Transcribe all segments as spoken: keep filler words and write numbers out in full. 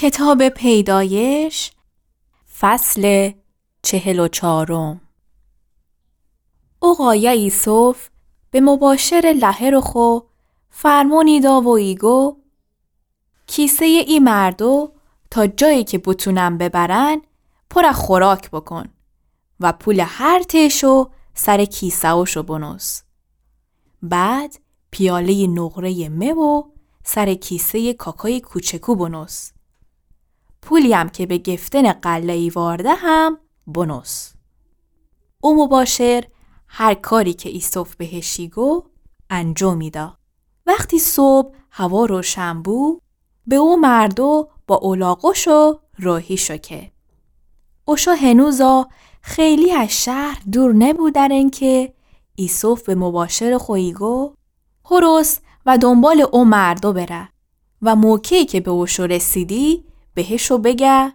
کتابٚ پیدایش، فصلٚ چهل و چهارم. او قایه ایسف به مباشرٚ لهرٚ خو فرمانی دا و ایگو: کیسه‌یٚ ای مردو تا جایی که بتونن ببرن، پر خوراک بکن و پولٚ هر ته‌شو سرٚ کیسه‌وشو بنوس. بعد پیاله‌یٚ نقره‌یٚ مه و سرٚ کیسه‌یٚ کاکایٚ کوچکو بنوس. پولی‌یم که به گفتنٚ غله ایوارده هم بنوس. او مباشر هر کاری که ایسف بهش ایگو انجامی دا. وختی صبح هوا روشن بو، به او مردو با الاغوشو راهی شو که. اوشو هنوزا خیلی از شهر دور نبودرن که ایسف به مباشرٚ خو ایگو: هرس و دنبالٚ او مردو بره و موقعی که به اوشو رسیدی، بهشو بگه: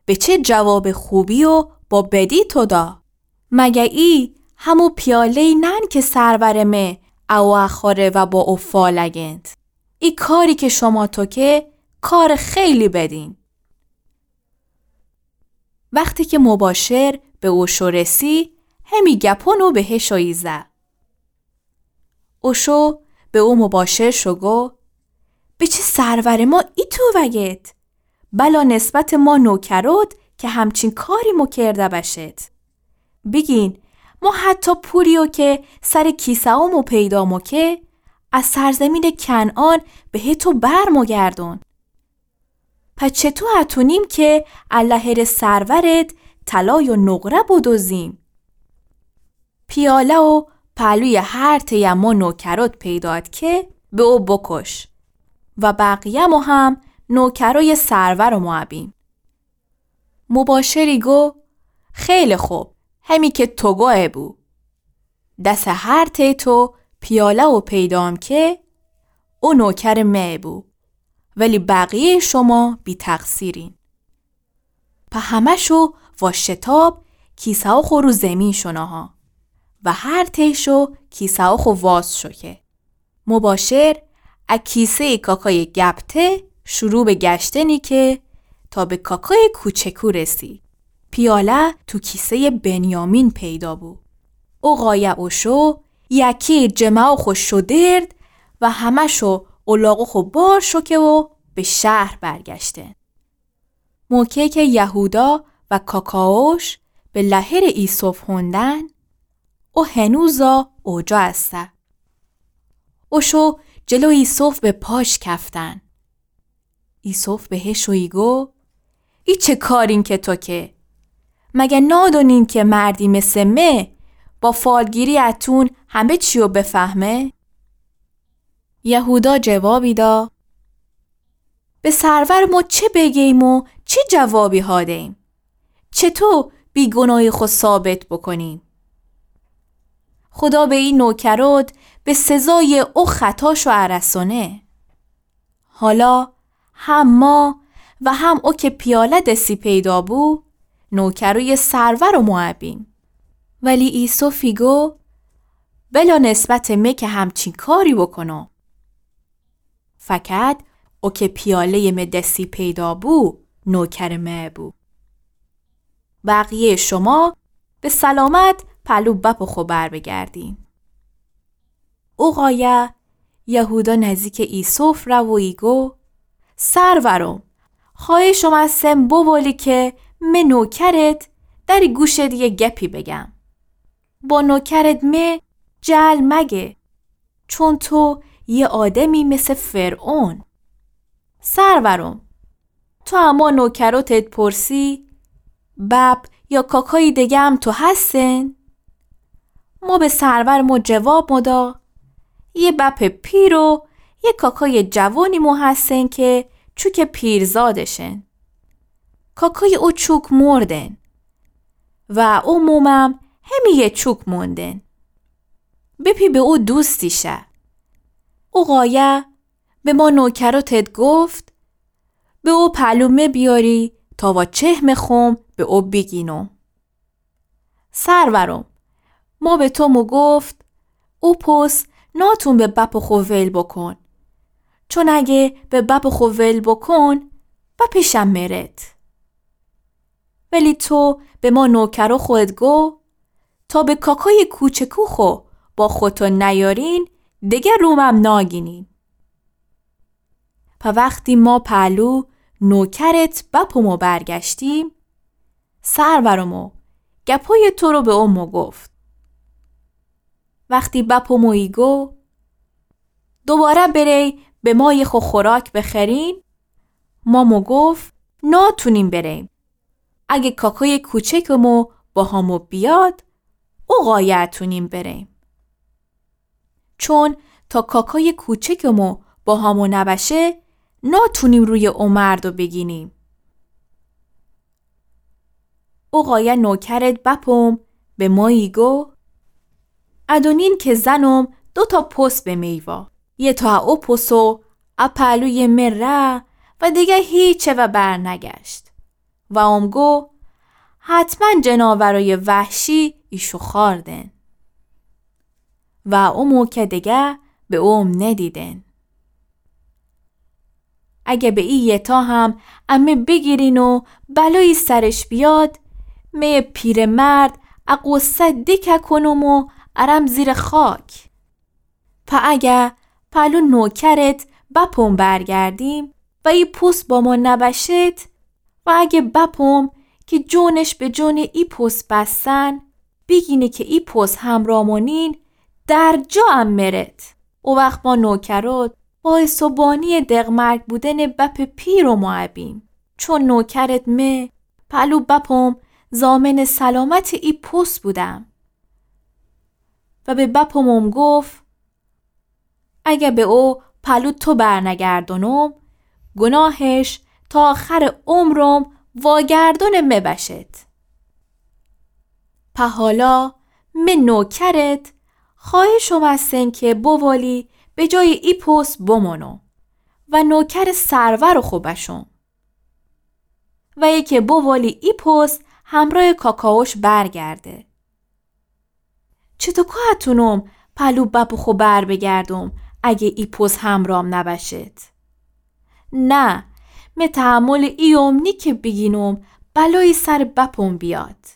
به چه جوابٚ خوبی و با بدی تو دا؟ مگه ای همو پیاله‌یی نن که سرورٚ مه او خوره و با او فالگند؟ ای کاری که شما تو که، کارٚ خیلی بدین. وختی که مباشر به اوشو رسی، همی گپونو بهشو ایزه. اوشو به او مباشر شو گو: به چه سرورٚ ما ایتو وگد؟ بلا نسبتٚ ما نوکروت که همچین کاری مو کرده بشد. بیگین، ما حتی پولیو که سرٚ کیسه‌ومو پیدا مو که، از سرزمینٚ کنعان به تو بر مو گردون. پس چطو اتونیم که ا لهرٚ سرورد طلای و نقره بدزیم؟ پیاله و پهلویٚ هر ته‌یٚ ما نوکروت پیداد که به او بکش و بقیه‌مو هم نوکرویٚ سرورٚ ما بیم. مباشری گو: خیلی خوب، همی که تو گویه بو. دسٚ هر ته‌یٚ تو پیاله‌یٚ پیدام که، او نوکرٚ مه بو، ولی بقیه‌یٚ شما بی‌تقصیرین. په همه‌شو وا شتاب کیسه‌وخو رو زیمین شو نهه و هر ته‌شو کیسه‌وخو واز شو که. مباشر ا کیسه‌یٚ کاکایٚ گپته شروع به گشتنی که تا به کاکایٚ کوچکو رسی. پیاله تو کیسه‌یٚ بنیامین پیدا بو. او قایه اوشو یکی جمه‌وخو شودرد و همه‌شو الاغوخو بار شو که و به شهر برگشتن. موقعی که یهودا و کاکاوش به لهرٚ ایسف هوندن، او هنوزا اوجا اسه. اوشو جلو ایسف به پاش کفتن. ایسف بهشو ایگو: ای چه کارین که تو که؟ مگه نادونین که مردی مثٚ مه با فالگیری اتون همه چیو بفهمه؟ یهودا جوابی دا: به سرورٚ مو چه بگیم و چه جوابی ها دیم؟ چطو بیگناهی خو ثابت بکنیم؟ خودا به ای نوکروت به سزایٚ او خطاشو ارسونه. حالا هم ما و هم او که پیاله دسی پیدا بو، نوکرویٚ سرورٚ مو بیم. ولی ایسف ایگو: بلا نسبتٚ مه که همچین کاری بکنم. فقط او که پیاله‌یٚ مه دسی پیدا بو، نوکرٚ مه بو. بقیه‌یٚ شما به سلامت پلو بپٚ خو بر بگردین. او قایه یهودا نزدیکٚ ایسف ره و ایگو: سرورم، خوأهشم از سن بوبولی که مه نوکرت دری گوشت یه گپی بگم. با نوکرت مه جعل مگه، چون تو یه آدمی مثل فرعون. سرورم، تو اما نوکروتت پرسی، بب یا کاکایی دگم تو هستن؟ مو به سرور مو جواب مو دا، یه بپٚ پیر و یه کاکای جوانی مو هستن که چوکٚ پیرزادشن. کاکای او چوک مردن و او مومم همی یه چوک موندن. بپی به او دوستی شه. او قایه به ما نوکروتت گفت، به او پلو مه بیاری تا وا چهمٚ خوم به او بیگینم. سرورم، ما به تو مو گفت، او پس ناتون به بپٚ خو ول بکن. چون اگه به بپٚ خو ول بکن، بپیشم مرت. ولی تو به ما نوکرٚ خو گو تا به کاکای کوچکٚ خو با خوتو نیارین، دگر رومم ناگینین. په وختی ما پهلو نوکرت بپوم و برگشتیم، سرورم و گپای تو رو به او موگفت. وختی بپوم و ایگو دوباره بری به مای خو خوراک بخرین، ما موگفت ناتونیم بریم. اگه کاکای کوچکمو با هامو بیاد، او قایه اتونیم بریم. چون تا کاکای کوچکمو با هامو نبشه، ناتونیم روی او مردو بگینیم. او قایه نوکرت بپوم به ما ایگو، ادونین که زنم دوتا پس به می وا. یه تا او پس و ا پهلوی مره و دگه هیچه و برنگشت. و اوم گو، حتماً جناورای وحشی ایشو خوأردن. و او موکه دگه به اوم ندیدن. اگه به ای یتا هم امه بیگیرین و بلایی سرش بیاد، می پیرمرد ا غصه دکه کنم و ارم زیر خاک. په اگه پهلو نوکرت بپوم برگردیم و ای پس با ما نبشت، و اگه بپوم که جونش به جون ای پس بستن، بیگینه که ای پس همرامونین، در جا ام مرت. او وخت ما نوکرت باعث و بانی دقمرگ بودن بپ پیرمو ابیم، چون نوکرت مه پهلو بپوم ضامن سلامت ای پس بودم. و به بپوم گفت، اگه به او پهلو تو برنگردونم، گناهش تا آخر عمرم واگردون مه بشد. په حالا مه نوکرت خواهشم استن که بوالی به جای ای پس بمونم و نوکر سرور خو بشم. و یکی بوالی ای پس همرای کاکاوش برگرده. چطو کاتونم پهلو بپ خو بر بگردم اگه ای پس همرام نبشد؟ نه، مه تحمل ایوم نی که بیگینم بلایی سر بپم بیاد.